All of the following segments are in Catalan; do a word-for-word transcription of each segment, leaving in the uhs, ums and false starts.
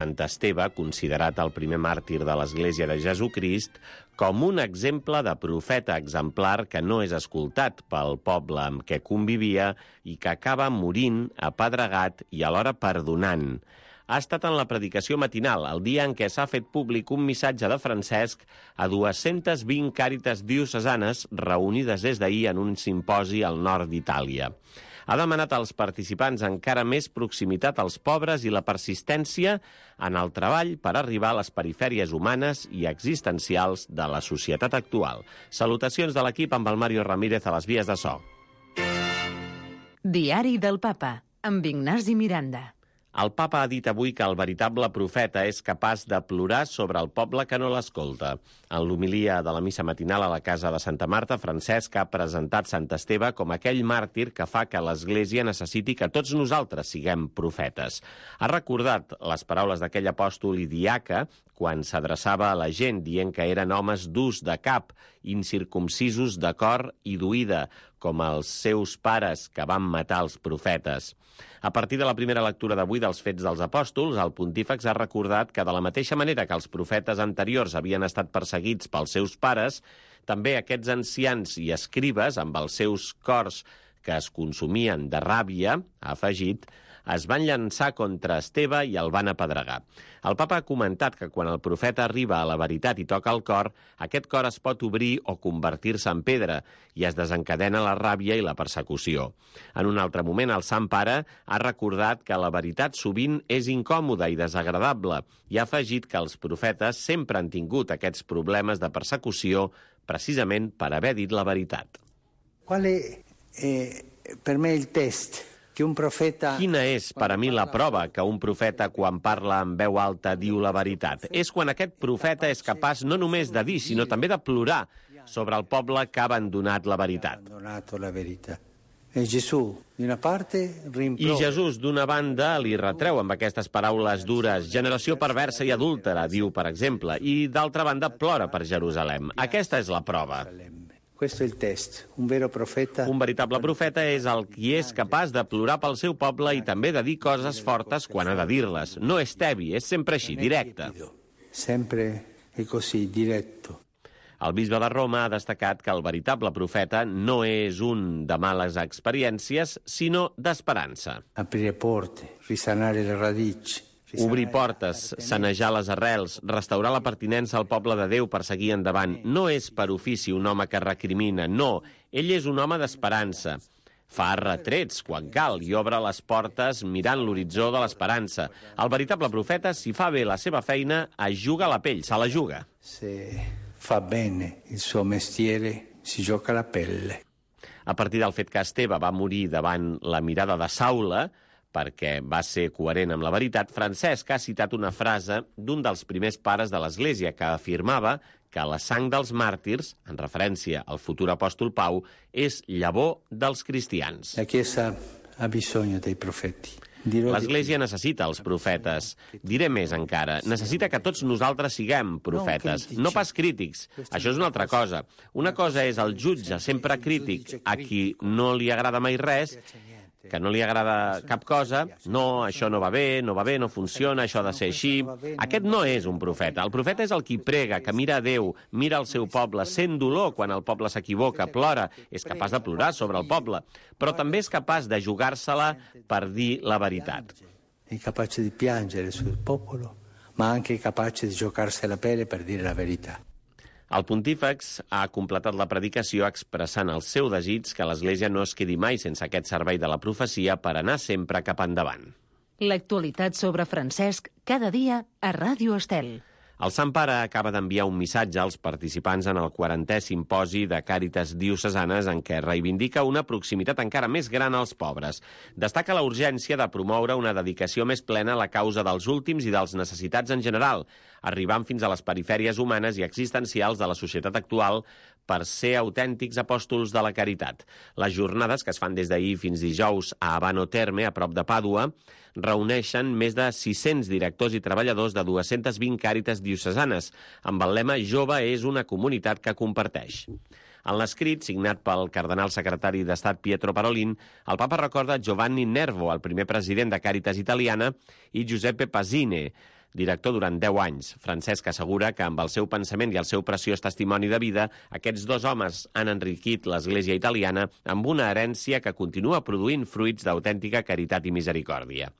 Sant Esteve, considerat el primer màrtir de l'Església de Jesucrist, com un exemple de profeta exemplar que no és escoltat pel poble amb què convivia i que acaba morint apedregat i alhora perdonant. Ha estat en la predicació matinal, el dia en què s'ha fet públic un missatge de Francesc a dues-centes vint càritas diocesanes reunides des d'ahir en un simposi al nord d'Itàlia. Ha demanat als participants encara més proximitat als pobres i la persistència en el treball per arribar a les perifèries humanes i existencials de la societat actual. Salutacions de l'equip amb el Mario Ramírez a les vies de so. Diari del Papa, amb Ignasi Miranda. El papa ha dit avui que el veritable profeta és capaç de plorar sobre el poble que no l'escolta. En l'homilia de la missa matinal a la casa de Santa Marta, Francesc ha presentat Sant Esteve com aquell màrtir que fa que l'Església necessiti que tots nosaltres siguem profetes. Ha recordat les paraules d'aquell apòstol i diaca quan s'adreçava a la gent dient que eren homes durs de cap, incircumcisos de cor i d'oïda, com els seus pares que van matar els profetes. A partir de la primera lectura d'avui dels Fets dels Apòstols, el pontífex ha recordat que de la mateixa manera que els profetes anteriors havien estat perseguits pels seus pares, també aquests ancians i escribes, amb els seus cors que es consumien de ràbia, ha afegit, es van llançar contra Esteve i el van apedregar. El papa ha comentat que quan el profeta arriba a la veritat i toca el cor, aquest cor es pot obrir o convertir-se en pedra i es desencadena la ràbia i la persecució. En un altre moment, el Sant Pare ha recordat que la veritat sovint és incòmoda i desagradable i ha afegit que els profetes sempre han tingut aquests problemes de persecució precisament per haver dit la veritat. Qual è eh, per me il test? Quina és, per a mi, la prova que un profeta, quan parla en veu alta, diu la veritat? És quan aquest profeta és capaç no només de dir, sinó també de plorar sobre el poble que ha abandonat la veritat. I Jesús, d'una banda, li retreu amb aquestes paraules dures generació perversa i adúltera, diu, per exemple, i d'altra banda plora per Jerusalem. Aquesta és la prova. Questo è il test. Un vero profeta... Un veritable profeta és el qui és capaç de plorar pel seu poble i també de dir coses fortes quan ha de dir-les. No és tebi, és sempre així, directe. Sempre è così, diretto. El bisbe de Roma ha destacat que el veritable profeta no és un de males experiències, sinó d'esperança. Aprire porte, risanare le radici. Obrir portes, sanejar les arrels, restaurar la pertinença al poble de Déu per seguir endavant. No és per ofici un home que recrimina, no. Ell és un home d'esperança. Fa retrets quan cal i obre les portes mirant l'horitzó de l'esperança. El veritable profeta, si fa bé la seva feina, es juga la pell, se la juga. Se fa bene il suo mestiere, si gioca la pelle. A partir del fet que Esteve va morir davant la mirada de Saula, perquè va ser coherent amb la veritat, Francesc ha citat una frase d'un dels primers pares de l'Església que afirmava que la sang dels màrtirs, en referència al futur apòstol Pau, és llavor dels cristians. La Chiesa ha bisogno dei profeti. L'Església necessita els profetes. Diré més encara, necessita que tots nosaltres siguem profetes, no pas crítics. Això és una altra cosa. Una cosa és el jutge sempre crític a qui no li agrada mai res, que no li agrada cap cosa, no, això no va bé, no va bé, no funciona, això ha de ser així. Aquest no és un profeta. El profeta és el qui prega, que mira a Déu, mira al seu poble, sent dolor quan el poble s'equivoca, plora, és capaç de plorar sobre el poble, però també és capaç de jugar-se-la per dir la veritat. È capace di piangere sul popolo, ma anche capace di giocarsi la pelle per dire la verità. El pontífex ha completat la predicació expressant el seu desig que l'Església no es quedi mai sense aquest servei de la profecia per anar sempre cap endavant. L'actualitat sobre Francesc cada dia a Ràdio Estel. El Sant Pare acaba d'enviar un missatge als participants en el quarantè simposi de Càritas Diocesanes en què reivindica una proximitat encara més gran als pobres. Destaca la urgència de promoure una dedicació més plena a la causa dels últims i dels necessitats en general, arribant fins a les perifèries humanes i existencials de la societat actual per ser autèntics apòstols de la caritat. Les jornades, que es fan des d'ahir fins dijous a Abano Terme, a prop de Pàdua, reuneixen més de sis-cents directors i treballadors de dues-centes vint càritas diocesanes, amb el lema «Jove és una comunitat que comparteix». En l'escrit, signat pel cardenal secretari d'Estat Pietro Parolin, el papa recorda Giovanni Nervo, el primer president de Càritas Italiana, i Giuseppe Pasine. director durant deu anys. Francesc assegura que amb el seu pensament i el seu preciós testimoni de vida, aquests dos homes han enriquit l'Església italiana amb una herència que continua produint fruits d'autèntica caritat i misericòrdia.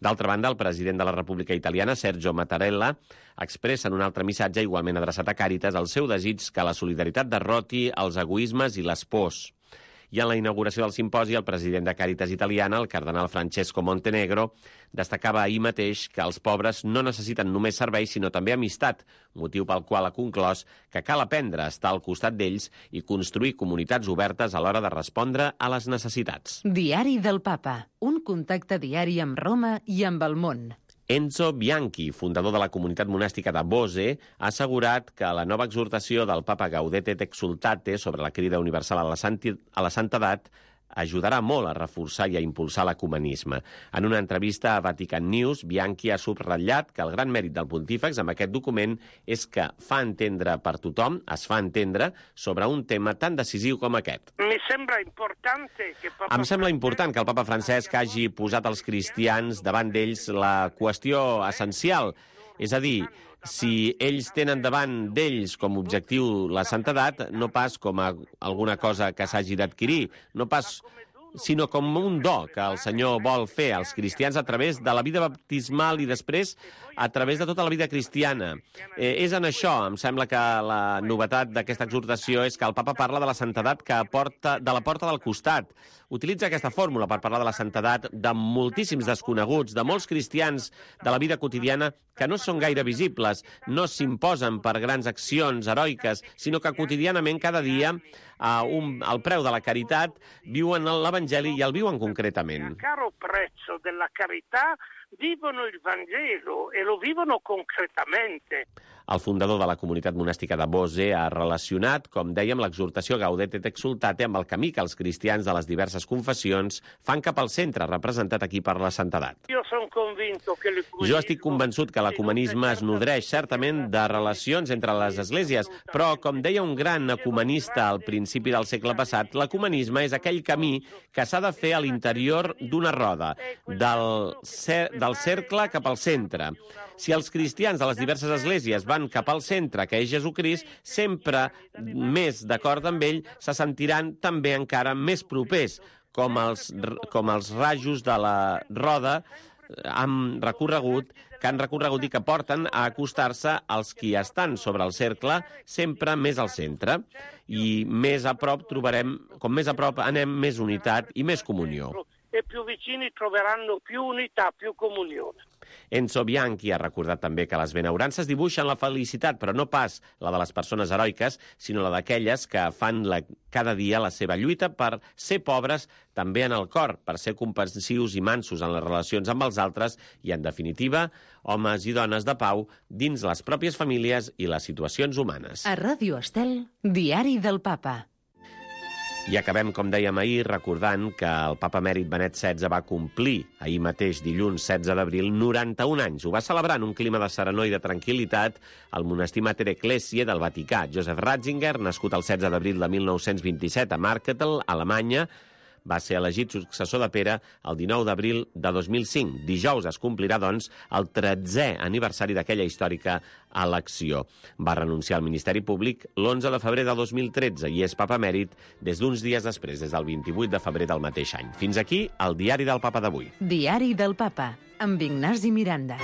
D'altra banda, el president de la República Italiana, Sergio Mattarella, expressa en un altre missatge igualment adreçat a Càritas el seu desig que la solidaritat derroti els egoismes i les pors. I en la inauguració del simposi, el president de Càritas Italiana, el cardenal Francesco Montenegro, destacava ahir mateix que els pobres no necessiten només serveis, sinó també amistat, motiu pel qual ha conclòs que cal aprendre a estar al costat d'ells i construir comunitats obertes a l'hora de respondre a les necessitats. Diari del Papa, un contacte diari amb Roma i amb el món. Enzo Bianchi, fundador de la comunitat monàstica de Bose, ha assegurat que la nova exhortació del papa Gaudete et Exsultate sobre la crida universal a la, santi, a la santedat ajudarà molt a reforçar i a impulsar l'ecumenisme. En una entrevista a Vatican News, Bianchi ha subratllat que el gran mèrit del pontífex amb aquest document és que fa entendre per tothom, es fa entendre, sobre un tema tan decisiu com aquest. Mi sembra importante que Papa Em sembla important que el papa Francesc hagi posat als cristians davant d'ells la qüestió essencial, és a dir, si ells tenen davant d'ells com a objectiu la santedat, no pas com a alguna cosa que s'hagi d'adquirir, no pas, sinó com un do que el Senyor vol fer als cristians a través de la vida baptismal i després a través de tota la vida cristiana. Eh, és en això, em sembla que la novetat d'aquesta exhortació és que el papa parla de la santedat que porta, de la porta del costat. Utilitza aquesta fórmula per parlar de la santedat de moltíssims desconeguts, de molts cristians de la vida quotidiana que no són gaire visibles, no s'imposen per grans accions heroiques, sinó que quotidianament, cada dia, a un, al preu de la caritat, viuen l'Evangeli i el viuen concretament. A caro prezzo della carità vivono il Vangelo e lo vivono concretamente. El fundador de la comunitat monàstica de Bose ha relacionat, com dèiem, l'exhortació Gaudete et Exsultate amb el camí que els cristians de les diverses confessions fan cap al centre, representat aquí per la santedat. Jo sono convinto que Jo estic convençut que l'ecumenisme es nodreix certament de relacions entre les esglésies, però, com deia un gran ecumenista al principi del segle passat, l'ecumenisme és aquell camí que s'ha de fer a l'interior d'una roda, del, cer del cercle cap al centre. Si els cristians de les diverses esglésies van cap al centre, que és Jesucrist, sempre més d'acord amb ell, se sentiran també encara més propers, com els, com els rajos de la roda han recorregut, que han recorregut i que porten a acostar-se als qui estan sobre el cercle, sempre més al centre. I més a prop trobarem, com més a prop anem, més unitat i més comunió. E più vicini troveranno più unità, più comunione. Enzo Bianchi ha recordat també que les benaurances dibuixen la felicitat, però no pas la de les persones heroiques, sinó la d'aquelles que fan la, cada dia la seva lluita per ser pobres també en el cor, per ser comprensius i mansos en les relacions amb els altres i, en definitiva, homes i dones de pau dins les pròpies famílies i les situacions humanes. A Ràdio Estel, Diari del Papa. I acabem, com dèiem ahir, recordant que el papa emèrit Benet setze va complir ahir mateix, dilluns setze d'abril, noranta-un anys. Ho va celebrar en un clima de serenor i de tranquil·litat al monestir Mater Ecclesiae del Vaticà. Joseph Ratzinger, nascut el setze d'abril de mil nou-cents vint-i-set a Marketel, Alemanya, va ser elegit successor de Pere el dinou d'abril de dos mil cinc. Dijous es complirà, doncs, el tretzè aniversari d'aquella històrica elecció. Va renunciar al Ministeri Públic l'onze de febrer de dos mil tretze i és papa emèrit des d'uns dies després, des del vint-i-vuit de febrer del mateix any. Fins aquí el Diari del Papa d'avui. Diari del Papa, amb Ignasi Miranda.